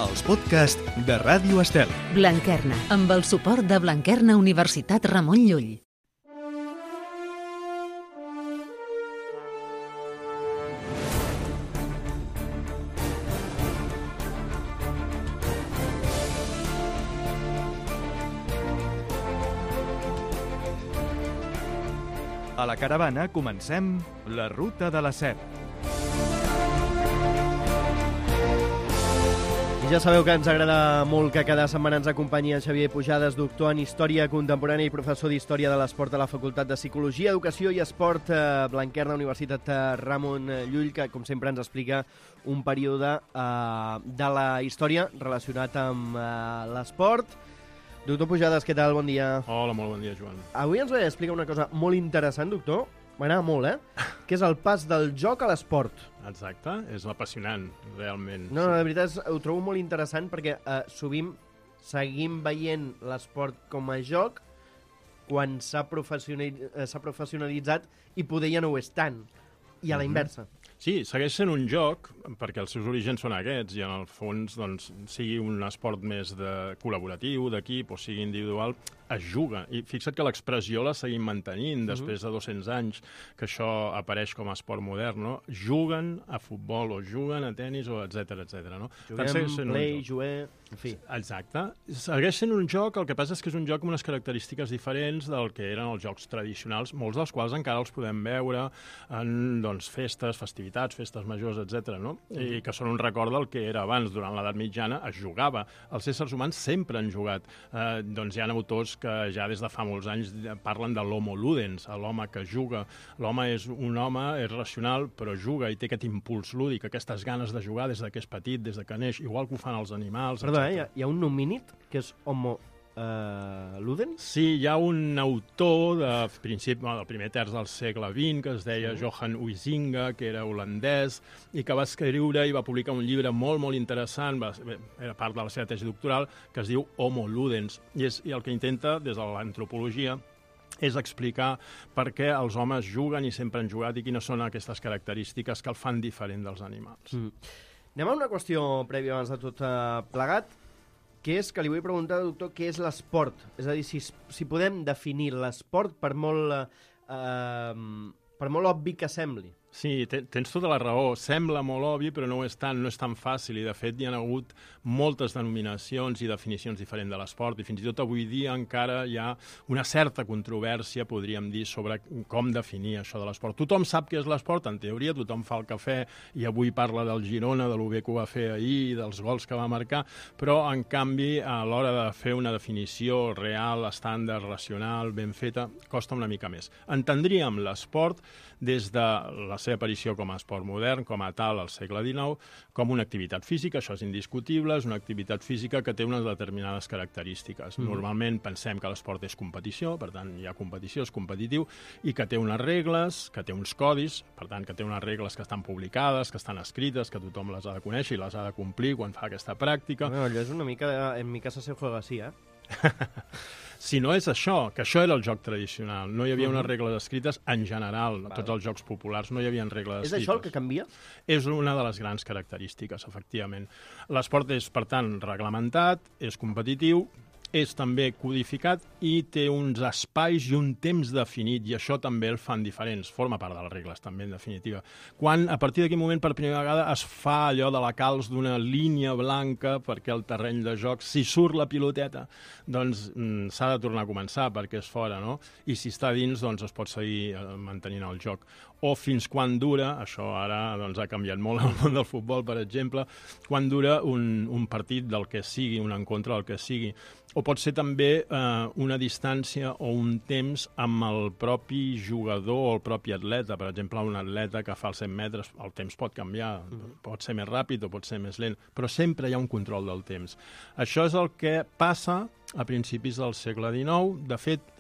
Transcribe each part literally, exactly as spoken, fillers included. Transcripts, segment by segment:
els podcasts de Ràdio Estel. Blanquerna, amb el suport de Blanquerna Universitat Ramon Llull. A la caravana comencem la Ruta de la Seda. I ja sabeu que ens agrada molt que cada setmana ens acompanyi en Xavier Pujades, doctor en Història Contemporània i professor d'Història de l'Esport a la Facultat de Psicologia, Educació i Esport eh, Blanquerna, Universitat Ramon Llull, que com sempre ens explica un període eh, de la història relacionat amb eh, l'esport. Doctor Pujades, què tal? Bon dia. Hola, molt bon dia, Joan. Avui ens ve a explicar una cosa molt interessant, doctor. M'agrada molt, eh? Que és el pas del joc a l'esport. Exacte, és apassionant, realment. No, no, la veritat és, ho trobo molt interessant perquè eh, sovint seguim veient l'esport com a joc quan s'ha professionalitzat, s'ha professionalitzat i poder ja no ho és tant. I a la inversa. Sí, segueix sent un joc, perquè els seus orígens són aquests, i en el fons, doncs, sigui un esport més de col·laboratiu, d'equip, o sigui individual, es juga. I fixa't que l'expressió la seguim mantenint després de dos-cents anys que això apareix com a esport modern, no? Juguen a futbol, o juguen a tennis, o etcètera, etcètera, no? Juguem, play, juguer... En fi. Exacte. Segueix sent un joc, el que passa és que és un joc amb unes característiques diferents del que eren els jocs tradicionals, molts dels quals encara els podem veure en doncs, festes, festivitats, festes majors, etcètera, no? I que són un record del que era abans. Durant l'edat mitjana es jugava. Els éssers humans sempre han jugat. Eh, doncs hi ha autors que ja des de fa molts anys parlen de l'homo ludens, l'home que juga. L'home és un home, és racional, però juga i té aquest impuls lúdic, aquestes ganes de jugar des que és petit, des que neix, igual que ho fan els animals. Perdó, eh? Hi ha, hi ha un nomínid que és homo uh, ludens? Sí, hi ha un autor de principi, del primer terç del segle vint que es deia sí. Johan Huizinga, que era holandès, i que va escriure i va publicar un llibre molt, molt interessant, va, era part de la seva tesi doctoral, que es diu Homo Ludens. I, és, i el que intenta, des de l'antropologia, és explicar per què els homes juguen i sempre han jugat i quines són aquestes característiques que el fan diferent dels animals. Mm. Anem a una qüestió prèvia abans de tot uh, plegat, que és que li vull preguntar, doctor, què és l'esport? És a dir, si, si podem definir l'esport per molt, uh, per molt obvi que sembli. Sí, tens tota la raó. Sembla molt obvi, però no ho és tant, no és tan fàcil. I, de fet, hi ha hagut moltes denominacions i definicions diferents de l'esport. I fins i tot avui dia encara hi ha una certa controvèrsia, podríem dir, sobre com definir això de l'esport. Tothom sap què és l'esport, en teoria, tothom fa el cafè i avui parla del Girona, de lo bé que ho va fer ahir, dels gols que va marcar, però, en canvi, a l'hora de fer una definició real, estàndard, racional, ben feta, costa una mica més. Entendríem l'esport des de la seva aparició com a esport modern, com a tal al segle dinou, com una activitat física, això és indiscutible, és una activitat física que té unes determinades característiques. Mm. Normalment pensem que l'esport és competició, per tant hi ha competició, és competitiu, i que té unes regles, que té uns codis, per tant que té unes regles que estan publicades, que estan escrites, que tothom les ha de conèixer i les ha de complir quan fa aquesta pràctica. Bueno, allò és una mica, en mi casa se juega así, eh? Si no és això, que això era el joc tradicional, no hi havia unes regles escrites en general, vale. Tots els jocs populars no hi havia regles escrites. És això el que canvia? És una de les grans característiques, efectivament. L'esport és, per tant, reglamentat, és competitiu, és també codificat i té uns espais i un temps definit, i això també el fan diferents. Forma part de les regles, també, en definitiva. Quan, a partir d'aquell moment, per primera vegada, es fa allò de la calç d'una línia blanca perquè el terreny de joc, si surt la piloteta, doncs mm, s'ha de tornar a començar perquè és fora, no? I si està dins, doncs es pot seguir eh, mantenint el joc. O fins quan dura, això ara doncs, ha canviat molt el món del futbol, per exemple, quan dura un, un partit del que sigui, un encontre del que sigui. O pot ser també eh, una distància o un temps amb el propi jugador o el propi atleta. Per exemple, un atleta que fa els cent metres, el temps pot canviar, mm. pot ser més ràpid o pot ser més lent, però sempre hi ha un control del temps. Això és el que passa a principis del segle dinou. De fet,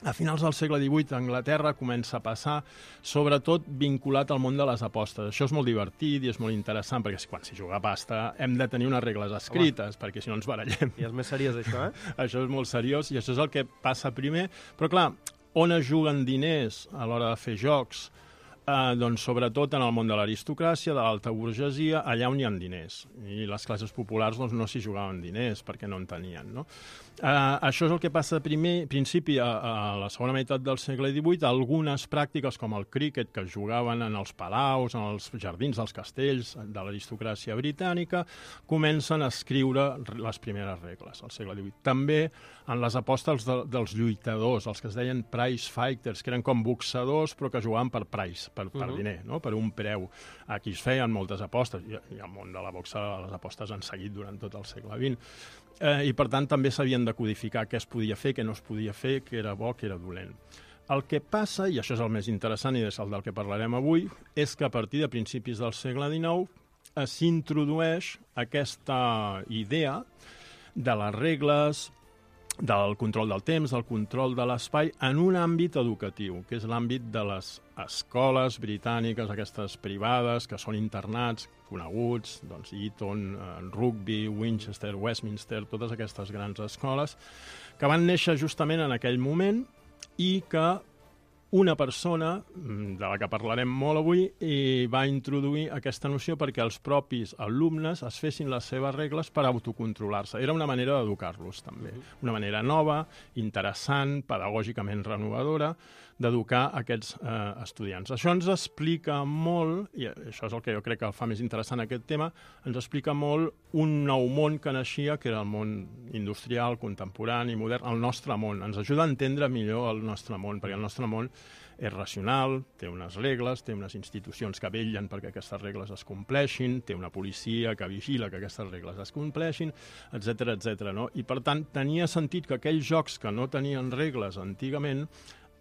a finals del segle divuit, a Anglaterra comença a passar, sobretot vinculat al món de les apostes. Això és molt divertit i és molt interessant, perquè quan s'hi juga a pasta hem de tenir unes regles escrites, Home. perquè si no ens barallem. I és més seriós, això, eh? Això és molt seriós i això és el que passa primer. Però, clar, on es juguen diners a l'hora de fer jocs? Eh, doncs sobretot en el món de l'aristocràcia, de l'alta burgesia, allà on hi ha diners. I les classes populars doncs, no s'hi jugaven diners perquè no en tenien. No? Eh, això és el que passa a primer, principi a, a la segona meitat del segle divuit. Algunes pràctiques com el críquet que jugaven en els palaus, en els jardins dels castells de l'aristocràcia britànica, comencen a escriure les primeres regles al segle divuit. També en les apostes de, dels lluitadors, els que es deien prize fighters, que eren com boxadors però que jugaven per prize, per, per uh-huh. diner, no? Per un preu. Aquí es feien moltes apostes, i, i al món de la boxa les apostes han seguit durant tot el segle vint. Eh, I per tant també s'havien de codificar què es podia fer, què no es podia fer, què era bo, què era dolent. El que passa, i això és el més interessant i és el del que parlarem avui, és que a partir de principis del segle dinou eh, s'introdueix aquesta idea de les regles, del control del temps, del control de l'espai, en un àmbit educatiu, que és l'àmbit de les escoles britàniques, aquestes privades, que són internats coneguts, doncs Eton, Rugby, Winchester, Westminster, totes aquestes grans escoles, que van néixer justament en aquell moment i que una persona, de la que parlarem molt avui, i va introduir aquesta noció perquè els propis alumnes es fessin les seves regles per autocontrolar-se. Era una manera d'educar-los, també. Una manera nova, interessant, pedagògicament renovadora, d'educar aquests eh, estudiants. Això ens explica molt, i això és el que jo crec que fa més interessant aquest tema, ens explica molt un nou món que naixia, que era el món industrial, contemporani, modern, el nostre món. Ens ajuda a entendre millor el nostre món, perquè el nostre món és racional, té unes regles, té unes institucions que vetllen perquè aquestes regles es compleixin, té una policia que vigila que aquestes regles es compleixin, etcètera, etcètera, no? I, per tant, tenia sentit que aquells jocs que no tenien regles antigament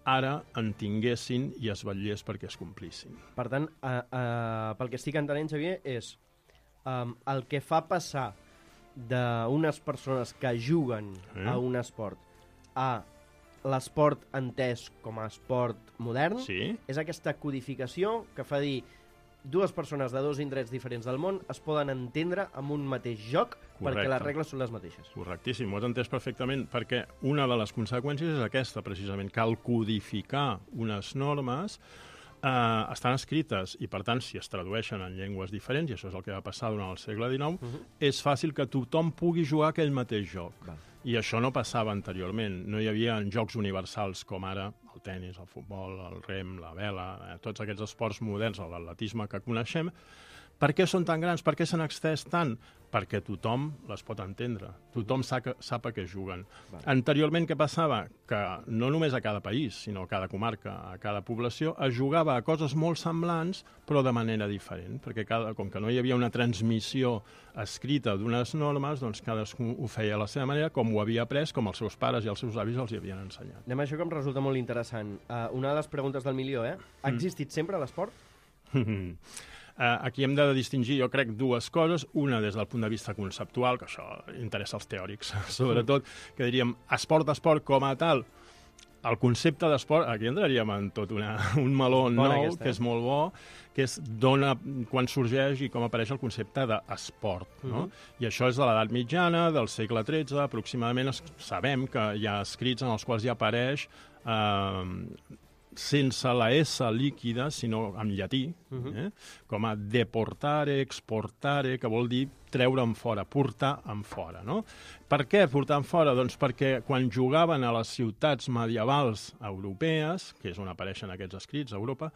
ara en tinguessin i es vetllés perquè es complissin. Per tant, uh, uh, pel que estic entenent, Xavier, és um, el que fa passar d'unes persones que juguen eh? a un esport a l'esport entès com a esport modern, sí. És aquesta codificació que fa dir dues persones de dos indrets diferents del món es poden entendre amb un mateix joc. Correcte. Perquè les regles són les mateixes. Correctíssim, ho has entès perfectament, perquè una de les conseqüències és aquesta, precisament, que al codificar unes normes eh, estan escrites i, per tant, si es tradueixen en llengües diferents, i això és el que va passar durant el segle dinou, uh-huh. és fàcil que tothom pugui jugar aquell mateix joc. Val. I això no passava anteriorment. No hi havia jocs universals com ara el tennis, el futbol, el rem, la vela, eh, tots aquests esports moderns, l'atletisme que coneixem. Per què són tan grans? Per què s'han extès tant? Perquè tothom les pot entendre. Tothom sap, sap a què juguen. Vale. Anteriorment, què passava? Que no només a cada país, sinó a cada comarca, a cada població, es jugava a coses molt semblants, però de manera diferent. Perquè cada, com que no hi havia una transmissió escrita d'unes normes, doncs cadascú ho feia a la seva manera, com ho havia après, com els seus pares i els seus avis els hi havien ensenyat. Anem a això que em resulta molt interessant. Uh, una de les preguntes del milió, eh? Ha existit mm. sempre l'esport? Uh, aquí hem de distingir, jo crec, dues coses. Una des del punt de vista conceptual, que això interessa als teòrics, sobretot, que diríem esport, esport com a tal. El concepte d'esport, aquí entraríem en tot una, un meló nou, aquesta, eh? Que és molt bo, que és dona, quan sorgeix i com apareix el concepte d'esport. No? Uh-huh. I això és de l'edat mitjana, del segle tretze, aproximadament sabem que hi ha escrits en els quals ja apareix eh, sense la S líquida, sinó en llatí, uh-huh. eh? com a deportare, exportare, que vol dir treure en fora, portar en fora. No? Per què portar en fora? Doncs perquè quan jugaven a les ciutats medievals europees, que és on apareixen aquests escrits a Europa,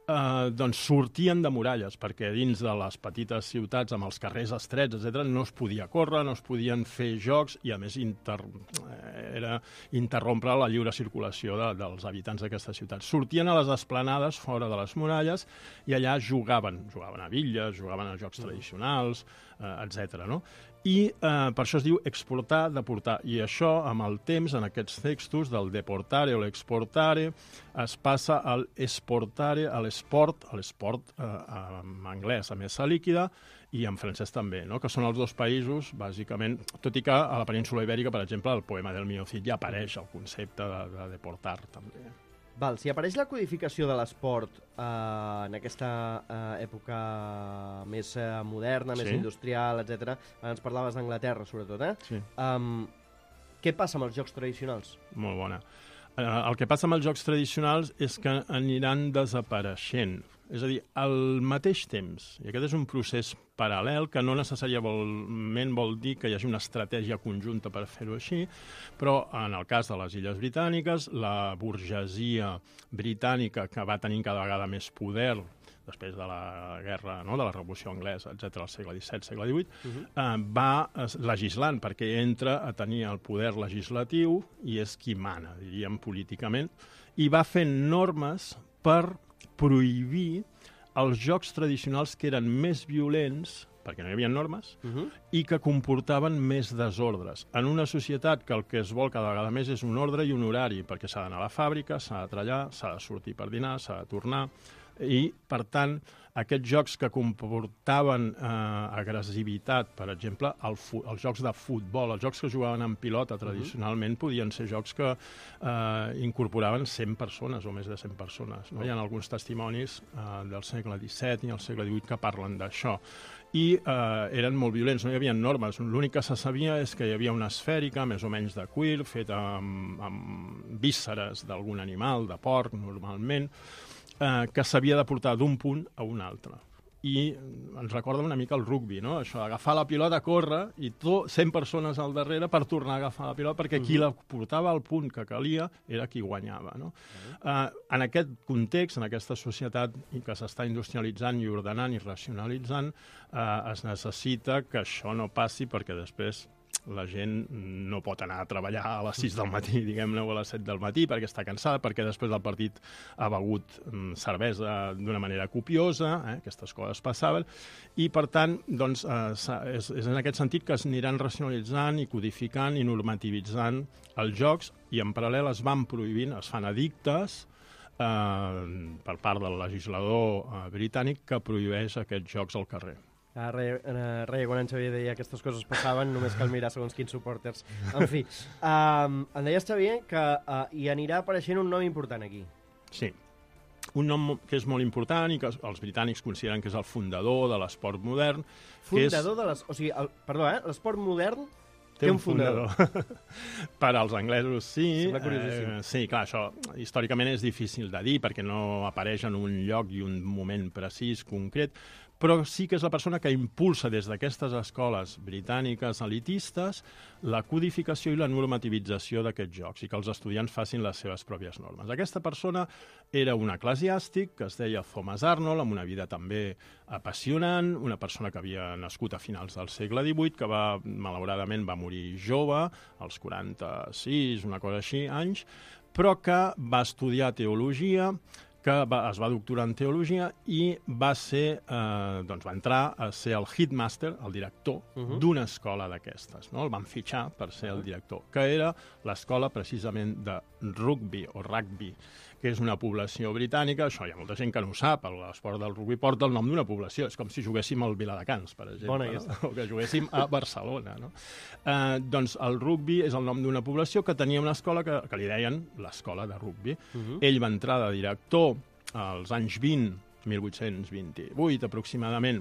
eh, doncs sortien de muralles, perquè dins de les petites ciutats amb els carrers estrets, etcètera, no es podia córrer, no es podien fer jocs i, a més, inter... era interrompre la lliure circulació de, dels habitants d'aquestes ciutats. Sortien a les esplanades fora de les muralles i allà jugaven. Jugaven a bitlles, jugaven a jocs tradicionals, eh, etcètera. No? I eh, per això es diu exportar, deportar. I això, amb el temps, en aquests textos del deportare o l'exportare, es passa al esportare, a l'esport, a l'esport eh, en anglès, a mesa líquida, i en francès també, no? Que són els dos països, bàsicament, tot i que a la península Ibèrica, per exemple, el poema del Mio Cid ja apareix el concepte de, de deportar, també. Val, si apareix la codificació de l'esport eh, en aquesta eh, època més eh, moderna, més sí. industrial, etcètera, ens parlaves d'Anglaterra, sobretot, eh? Sí. Um, què passa amb els jocs tradicionals? Molt bona. Uh, el que passa amb els jocs tradicionals és que aniran desapareixent. És a dir, al mateix temps, i aquest és un procés paral·lel que no necessàriament vol dir que hi hagi una estratègia conjunta per fer-ho així, però en el cas de les Illes Britàniques, la burgesia britànica que va tenir cada vegada més poder després de la guerra, no?, de la Revolució Anglesa, etcètera, al segle disset, segle divuit, uh-huh. eh, va legislant, perquè entra a tenir el poder legislatiu i és qui mana, diríem, políticament, i va fent normes per prohibir els jocs tradicionals que eren més violents, perquè no hi havia normes, uh-huh. i que comportaven més desordres. En una societat que el que es vol cada vegada més és un ordre i un horari, perquè s'ha d'anar a la fàbrica, s'ha de treballar, s'ha de sortir per dinar, s'ha de tornar, i, per tant, aquests jocs que comportaven eh, agressivitat, per exemple, el fu- els jocs de futbol, els jocs que jugaven en pilota tradicionalment, uh-huh. podien ser jocs que eh, incorporaven cent persones o més de cent persones. No? Uh-huh. Hi ha alguns testimonis eh, del segle disset i del segle divuit que parlen d'això. I eh, eren molt violents, no hi havia normes. L'únic que se sabia és que hi havia una esfèrica, més o menys de cuir, feta amb, amb vísceres d'algun animal, de porc, normalment, Eh, que s'havia de portar d'un punt a un altre. I ens recorda una mica el rugby, no? Això, agafar la pilota, córrer, i tot, cent persones al darrere per tornar a agafar la pilota, perquè qui la portava al punt que calia era qui guanyava, no? Uh-huh. Eh, en aquest context, en aquesta societat que s'està industrialitzant i ordenant i racionalitzant, eh, es necessita que això no passi, perquè després la gent no pot anar a treballar a les sis del matí, diguem-ne, o a les set del matí, perquè està cansada, perquè després del partit ha begut mm, cervesa d'una manera copiosa, eh? Aquestes coses passaven, i per tant, doncs, eh, és, és en aquest sentit que es aniran racionalitzant i codificant i normativitzant els jocs, i en paral·lel es van prohibint, es fan edictes eh, per part del legislador eh, britànic que prohibeix aquests jocs al carrer. Ah, reia, uh, reia, quan en Xavier deia que aquestes coses passaven, només cal mirar segons quins supporters. En fi, um, em deies, Xavier, que uh, hi anirà apareixent un nom important aquí. Sí, un nom que és molt important i que els britànics consideren que és el fundador de l'esport modern. Fundador és... de l'esport... O sigui, el, perdó, eh? L'esport modern té un fundador. fundador. Per als anglesos, sí. Sembla curiosíssim. Eh, sí, clar, això històricament és difícil de dir perquè no apareix en un lloc i un moment precís, concret, però sí que és la persona que impulsa des d'aquestes escoles britàniques elitistes la codificació i la normativització d'aquests jocs i que els estudiants facin les seves pròpies normes. Aquesta persona era un eclesiàstic que es deia Thomas Arnold, amb una vida també apassionant, una persona que havia nascut a finals del segle divuit, que va, malauradament va morir jove, als quaranta-sis, una cosa així, anys, però que va estudiar teologia, que va, es va doctorar en teologia i va ser, eh, doncs va entrar a ser el headmaster, el director, uh-huh. d'una escola d'aquestes, no? El van fitxar per ser el director, que era l'escola precisament de rugby o rugby, que és una població britànica. Això hi ha molta gent que no ho sap, l'esport del rugby porta el nom d'una població, és com si juguéssim al Viladecans, per exemple, no? O que juguéssim a Barcelona, no? Eh, doncs el rugby és el nom d'una població que tenia una escola que, que li deien l'escola de rugby. Uh-huh. Ell va entrar de director als anys vint, mil vuit-cents vint-i-vuit aproximadament,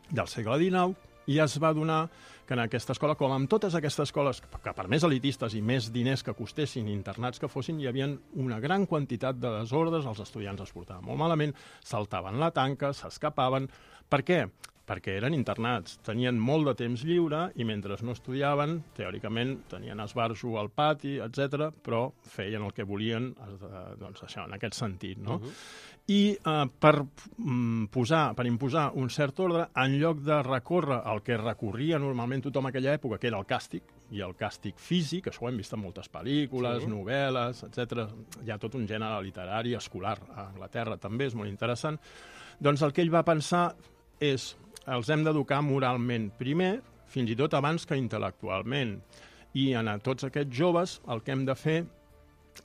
del segle dinou, i es va donar que en aquesta escola, com amb totes aquestes escoles, que per més elitistes i més diners que costessin, internats que fossin, hi havia una gran quantitat de desordres, els estudiants es portaven molt malament, saltaven la tanca, s'escapaven. Per què? Perquè eren internats, tenien molt de temps lliure i mentre no estudiaven, teòricament, tenien esbarjo al pati, etcètera, però feien el que volien, doncs això, en aquest sentit, no? Uh-huh. I eh, per, mm, posar, per imposar un cert ordre, en lloc de recórrer el que recorria normalment tothom a aquella època, que era el càstig, i el càstig físic, això ho hem vist en moltes pel·lícules, sí. novel·les, etcètera. Hi ha tot un gènere literari, escolar, a Anglaterra també, és molt interessant. Doncs el que ell va pensar és els hem d'educar moralment primer, fins i tot abans que intel·lectualment. I en a tots aquests joves el que hem de fer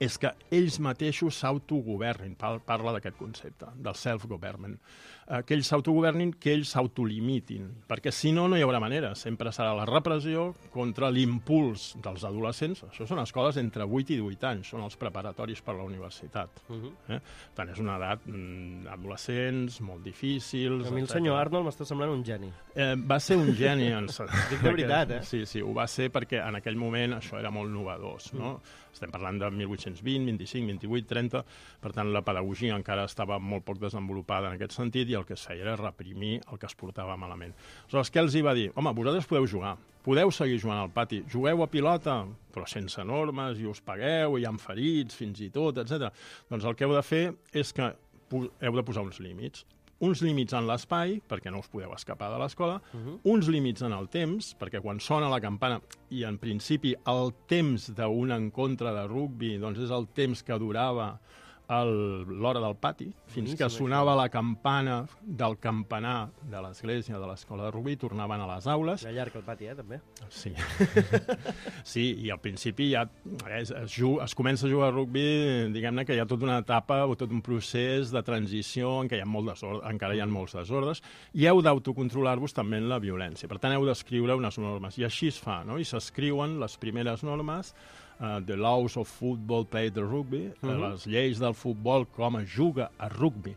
és que ells mateixos s'autogovernin, parla d'aquest concepte, del self-government, que ells s'autogovernin, que ells s'autolimitin, perquè si no, no hi haurà manera, sempre serà la repressió contra l'impuls dels adolescents. Això són escoles entre vuit i divuit anys, són els preparatoris per a la universitat. Uh-huh. eh? Tant és una edat mm, adolescents, molt difícils... A mi el senyor Arnold m'està semblant un geni. Eh, va ser un geni. En... Dic de veritat, eh? Sí, sí, ho va ser perquè en aquell moment això era molt novedós, no? Mm. Estem parlant de mil vuit-cents vuit-cents vint, vint-i-cinc, vint-i-vuit, trenta, per tant la pedagogia encara estava molt poc desenvolupada en aquest sentit i el que es feia era reprimir el que es portava malament. Aleshores, què els hi va dir? Home, vosaltres podeu jugar, podeu seguir jugant al pati, jugueu a pilota, però sense normes, i us pagueu, i hi ha ferits, fins i tot, etcètera. Doncs el que heu de fer és que heu de posar uns límits. Uns límits en l'espai, perquè no us podeu escapar de l'escola, uh-huh. uns límits en el temps, perquè quan sona la campana, i en principi el temps d'un encontre de rugbi doncs és el temps que durava l'hora del pati, fins que sonava la campana del campanar de l'església de l'escola de rugbi, tornaven a les aules. Era llarg el pati, eh, també? Sí. Sí, i al principi ja es, es, es comença a jugar a rugbi, diguem-ne que hi ha tota una etapa o tot un procés de transició en què hi ha molt desordre, encara hi ha molts desordres, i heu d'autocontrolar-vos també en la violència. Per tant, heu d'escriure unes normes, i així es fa, no? I s'escriuen les primeres normes, Uh, the laws of football played the rugby, uh -huh. les lleis del futbol, com es juga a rugbi.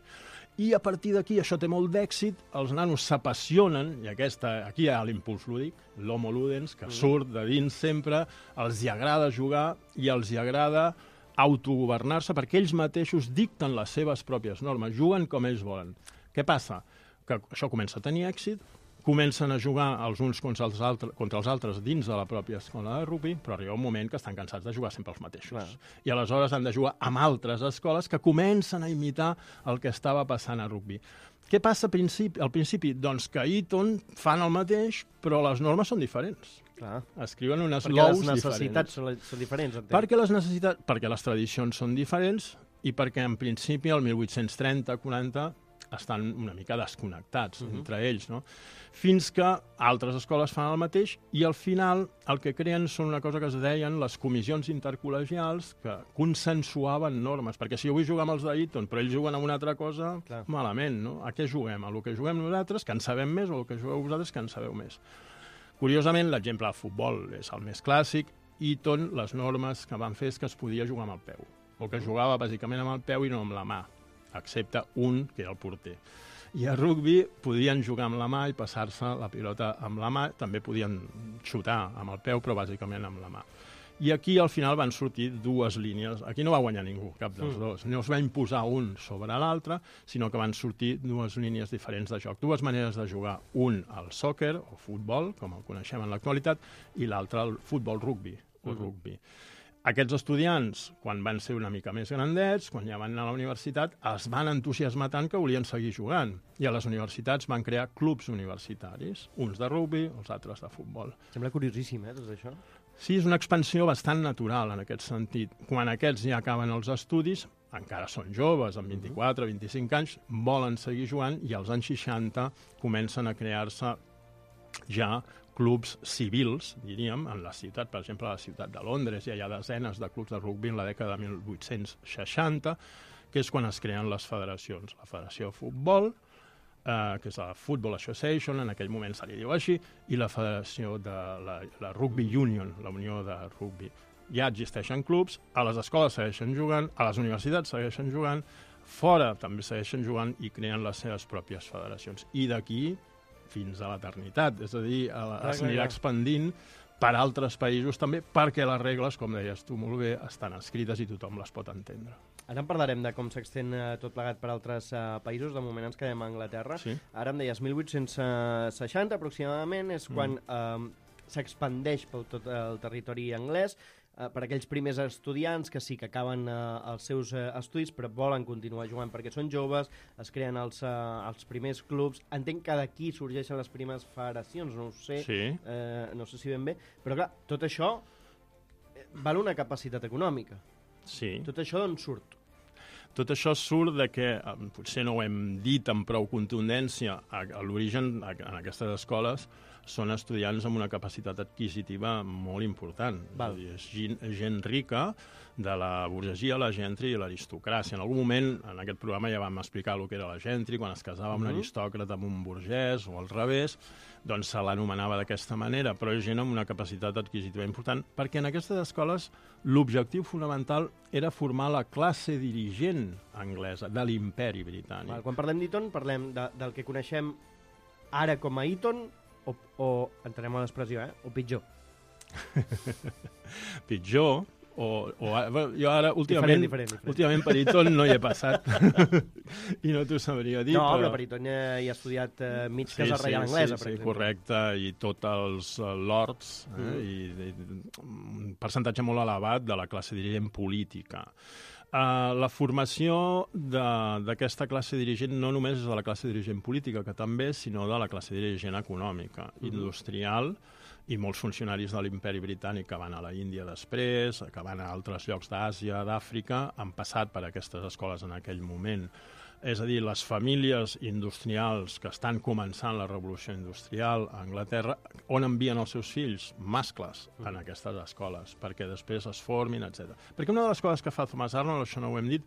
I a partir d'aquí, això té molt d'èxit, els nanos s'apassionen, i aquesta, aquí hi ha l'impuls lúdic, l'homo ludens, que uh -huh. surt de dins sempre, els hi agrada jugar i els hi agrada autogovernar-se perquè ells mateixos dicten les seves pròpies normes, juguen com ells volen. Què passa? Que això comença a tenir èxit, comencen a jugar els uns contra els, altres, contra els altres dins de la pròpia escola de rugbi, però arriba un moment que estan cansats de jugar sempre els mateixos. Clar. I aleshores han de jugar amb altres escoles que comencen a imitar el que estava passant a rugbi. Què passa al principi? Al principi? Doncs que a Eton fan el mateix, però les normes són diferents. Clar. Escriuen unes perquè laws les necessitats diferents. Són, són diferents, entenc. Perquè les necessitats, perquè les tradicions són diferents i perquè en principi el mil vuit-cents trenta quaranta estan una mica desconnectats uh-huh. entre ells, no? Fins que altres escoles fan el mateix i al final el que creen són una cosa que es deien les comissions intercol·legials que consensuaven normes, perquè si jo vull jugar amb els d'Eton però ells juguen amb una altra cosa, clar. Malament, no? A què juguem? A lo que juguem nosaltres, que en sabem més, o el que jugueu vosaltres, que en sabeu més. Curiosament, l'exemple del futbol és el més clàssic. Eton, les normes que van fer és que es podia jugar amb el peu, o que jugava bàsicament amb el peu i no amb la mà, excepte un, que era el porter. I a rugbi podien jugar amb la mà i passar-se la pilota amb la mà, també podien xutar amb el peu, però bàsicament amb la mà. I aquí al final van sortir dues línies. Aquí no va guanyar ningú, cap dels mm. dos. No es va imposar un sobre l'altre, sinó que van sortir dues línies diferents de joc. Dues maneres de jugar. Un, el soccer, o futbol, com el coneixem en l'actualitat, i l'altre, el futbol-rugbi, o mm. rugbi. Aquests estudiants, quan van ser una mica més grandets, quan ja van anar a la universitat, es van entusiasmar tant que volien seguir jugant. I a les universitats van crear clubs universitaris, uns de rugbi, els altres de futbol. Sembla curiosíssim, eh, tot això? Sí, és una expansió bastant natural en aquest sentit. Quan aquests ja acaben els estudis, encara són joves, amb vint-i-quatre, vint-i-cinc anys, volen seguir jugant i als anys seixanta comencen a crear-se ja clubs civils, diríem, en la ciutat, per exemple, a la ciutat de Londres, ja hi ha desenes de clubs de rugbi en la dècada de mil vuit-cents seixanta, que és quan es creen les federacions. La Federació de Futbol, eh, que és la Football Association, en aquell moment se li diu així, i la Federació de la, la Rugby Union, la Unió de Rugbi. Ja existeixen clubs, a les escoles segueixen jugant, a les universitats segueixen jugant, fora també segueixen jugant i creen les seves pròpies federacions. I d'aquí fins a l'eternitat, és a dir, es anirà expandint per altres països també, perquè les regles, com deies tu molt bé, estan escrites i tothom les pot entendre. Ara en parlarem de com s'extén uh, tot plegat per altres uh, països, de moment ens quedem a Anglaterra. Sí. Ara em deies mil vuit-cents seixanta aproximadament, és quan mm. uh, s'expandeix per tot el territori anglès, Uh, per aquells primers estudiants que sí que acaben uh, els seus uh, estudis però volen continuar jugant perquè són joves, es creen els, uh, els primers clubs. Entenc que d'aquí sorgeixen les primeres federacions, no ho sé, sí. uh, no sé si ben bé, però clar, tot això val una capacitat econòmica. Sí. Tot això d'on surt? Tot això surt de que, potser no ho hem dit amb prou contundència, a, a l'origen, en aquestes escoles, són estudiants amb una capacitat adquisitiva molt important. Val. És a dir, és gent, gent rica, de la burgesia, la gentry i l'aristocràcia. En algun moment, en aquest programa ja vam explicar el que era la gentry, quan es casava amb uh-huh. un aristòcrata amb un burgès, o al revés, doncs se l'anomenava d'aquesta manera, però és gent amb una capacitat adquisitiva important, perquè en aquestes escoles l'objectiu fonamental era formar la classe dirigent anglesa de l'imperi britànic. Val, quan parlem d'Eton, parlem de, del que coneixem ara com a Eton, o, o entenem a l'expressió, eh? o pitjor. Pitjor, o, o bueno, jo ara últimament, diferent, diferent, diferent. últimament per Eton no hi he passat i no t'ho sabria dir. No, però, però per Eton hi ha estudiat uh, mig sí, Casa Reial sí, Anglesa, sí, per sí, exemple. correcte, i tots els uh, lords, eh, Mm. i, i un percentatge molt elevat de la classe dirigent política. Uh, la formació d'aquesta classe dirigent no només és de la classe dirigent política, que també, sinó de la classe dirigent econòmica, mm-hmm. industrial, i molts funcionaris de l'imperi britànic que van a la Índia després, que van a altres llocs d'Àsia, d'Àfrica, han passat per aquestes escoles en aquell moment. És a dir, les famílies industrials que estan començant la revolució industrial a Anglaterra, on envien els seus fills, mascles, en aquestes escoles, perquè després es formin, etcètera. Perquè una de les coses que fa Thomas Arnold, això no ho hem dit,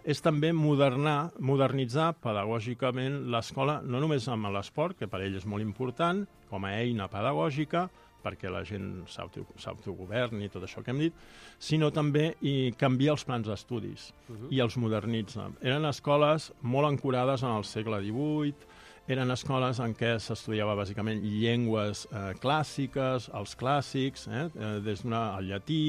és també modernar, modernitzar pedagògicament l'escola, no només amb l'esport, que per ell és molt important, com a eina pedagògica, perquè la gent s'autogoverni i tot això que hem dit, sinó també i canviar els plans d'estudis uh-huh. i els modernitza. Eren escoles molt ancorades en el segle divuit, eren escoles en què s'estudiava bàsicament llengües eh, clàssiques, els clàssics, eh, des d'una, el llatí,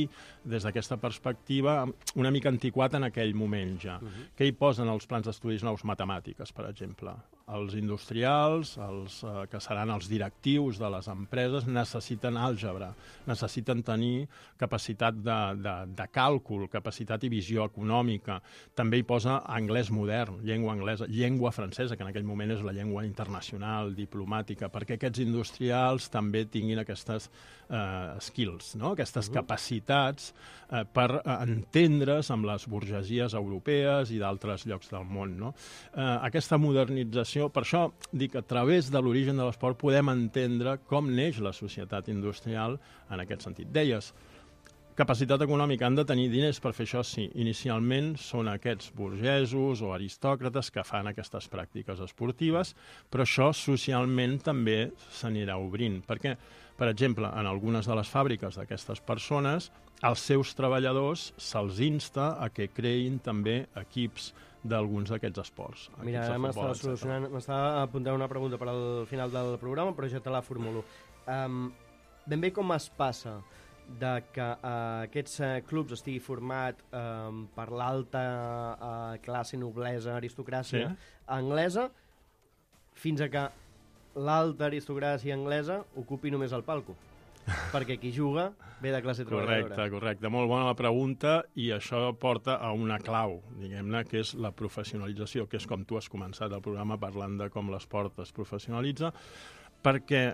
des d'aquesta perspectiva, una mica antiquat en aquell moment ja. Uh-huh. Què hi posen els plans d'estudis nous? Matemàtiques, per exemple. Els industrials, els eh, que seran els directius de les empreses, necessiten àlgebra, necessiten tenir capacitat de, de, de càlcul, capacitat i visió econòmica. També hi posa anglès modern, llengua anglesa, llengua francesa, que en aquell moment és la llengua internacional, diplomàtica, perquè aquests industrials també tinguin aquestes eh, skills, no? Aquestes uh-huh. capacitats eh, per eh, entendre's amb les burgesies europees i d'altres llocs del món. No? Eh, aquesta modernització, per això dic que a través de l'origen de l'esport podem entendre com neix la societat industrial en aquest sentit. Deies, capacitat econòmica, han de tenir diners per fer això, sí. Inicialment són aquests burgesos o aristòcrates que fan aquestes pràctiques esportives, però això socialment també s'anirà obrint, perquè, per exemple, en algunes de les fàbriques d'aquestes persones, als seus treballadors se'ls insta a que creïn també equips d'alguns d'aquests esports. Mira, ara m'estava solucionant, m'estava apuntant una pregunta per al final del programa, però ja te la formulo. Um, ben bé com es passa de que uh, aquests uh, clubs estigui format uh, per l'alta uh, classe, noblesa, aristocràcia sí. anglesa, fins a que l'alta aristocràcia anglesa ocupi només el palco. Perquè qui juga ve de classe treballadora. Correcte, correcte. Molt bona la pregunta, i això porta a una clau, diguem-ne, que és la professionalització, que és com tu has començat el programa parlant de com l'esport es professionalitza, perquè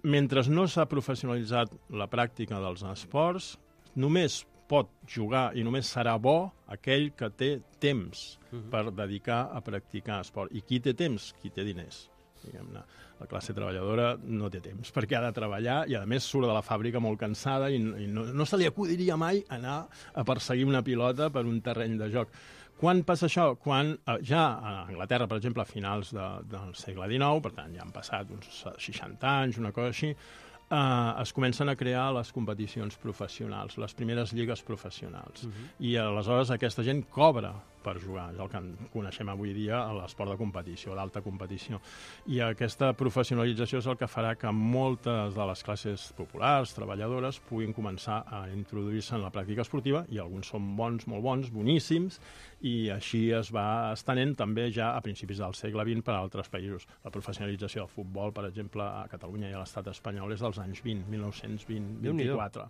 mentre no s'ha professionalitzat la pràctica dels esports, només pot jugar i només serà bo aquell que té temps uh-huh. per dedicar a practicar esport. I qui té temps? Qui té diners. Diguem-ne. La classe treballadora no té temps, perquè ha de treballar i, a més, surt de la fàbrica molt cansada i, i no, no se li acudiria mai anar a perseguir una pilota per un terreny de joc. Quan passa això? Quan eh, ja a Anglaterra, per exemple, a finals de, del segle dinou, per tant, ja han passat uns seixanta anys, una cosa així, eh, es comencen a crear les competicions professionals, les primeres lligues professionals. Uh-huh. I aleshores aquesta gent cobra per jugar, és el que coneixem avui dia a l'esport de competició, d'alta competició. I aquesta professionalització és el que farà que moltes de les classes populars, treballadores, puguin començar a introduir-se en la pràctica esportiva, i alguns són bons, molt bons, boníssims, i així es va estenent també ja a principis del segle vint per a altres països. La professionalització del futbol, per exemple, a Catalunya i a l'estat espanyol és dels anys vint, mil nou-cents vint, vint-i-quatre.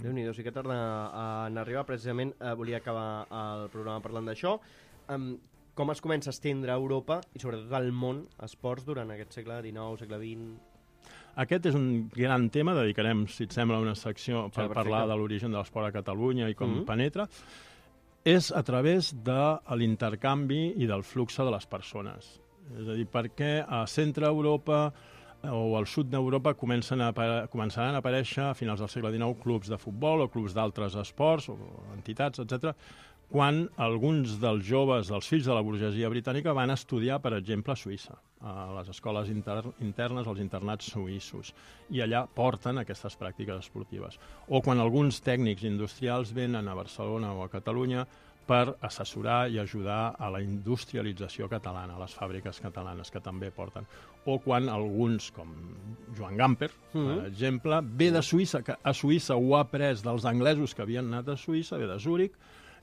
Déu-n'hi-do, sí que tarda en arribar. Precisament eh, volia acabar el programa parlant d'això. Um, com es comença a estendre a Europa i sobretot al món esports durant aquest segle dinou, segle vint? Aquest és un gran tema, dedicarem, si et sembla, una secció per sí, parlar de l'origen de l'esport a Catalunya i com mm-hmm. penetra. És a través de l'intercanvi i del flux de les persones. És a dir, perquè a centre Europa o al sud d'Europa comencen a, començaran a aparèixer a finals del segle dinou clubs de futbol o clubs d'altres esports o entitats, etcètera, quan alguns dels joves, dels fills de la burgesia britànica, van estudiar, per exemple, a Suïssa, a les escoles inter internes, als internats suïssos, i allà porten aquestes pràctiques esportives. O quan alguns tècnics industrials venen a Barcelona o a Catalunya per assessorar i ajudar a la industrialització catalana, a les fàbriques catalanes que també porten. O quan alguns, com Joan Gamper, per Mm. exemple, ve de Suïssa, que a Suïssa ho ha après dels anglesos que havien anat a Suïssa, ve de Zúrich,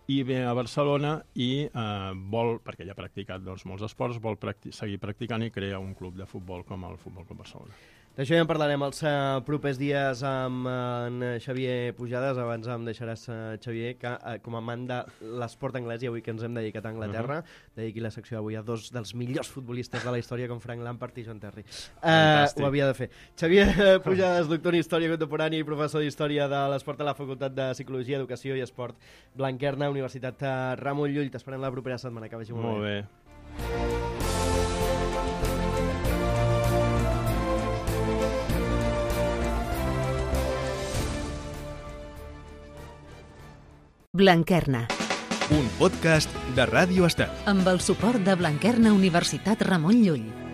i ve a Barcelona i eh, vol, perquè ja ha practicat doncs, molts esports, vol practi- seguir practicant i crea un club de futbol com el Futbol Club Barcelona. D'això ja en parlarem els uh, propers dies amb uh, en Xavier Pujades. Abans em deixaràs, uh, Xavier, que uh, com a amant de l'esport anglès, i avui que ens hem dedicat a Anglaterra, uh-huh. dediqui la secció avui a dos dels millors futbolistes de la història, com Frank Lampard i John Terry. Uh, ho havia de fer. Xavier Pujades, doctor en Història Contemporània i professor d'Història de l'Esport a la Facultat de Psicologia, Educació i Esport Blanquerna, Universitat uh, Ramon Llull. T'esperem la propera setmana, que vagi molt, molt bé. bé. Blanquerna, Un podcast de Ràdio Estat. amb el suport de Blanquerna Universitat Ramon Llull.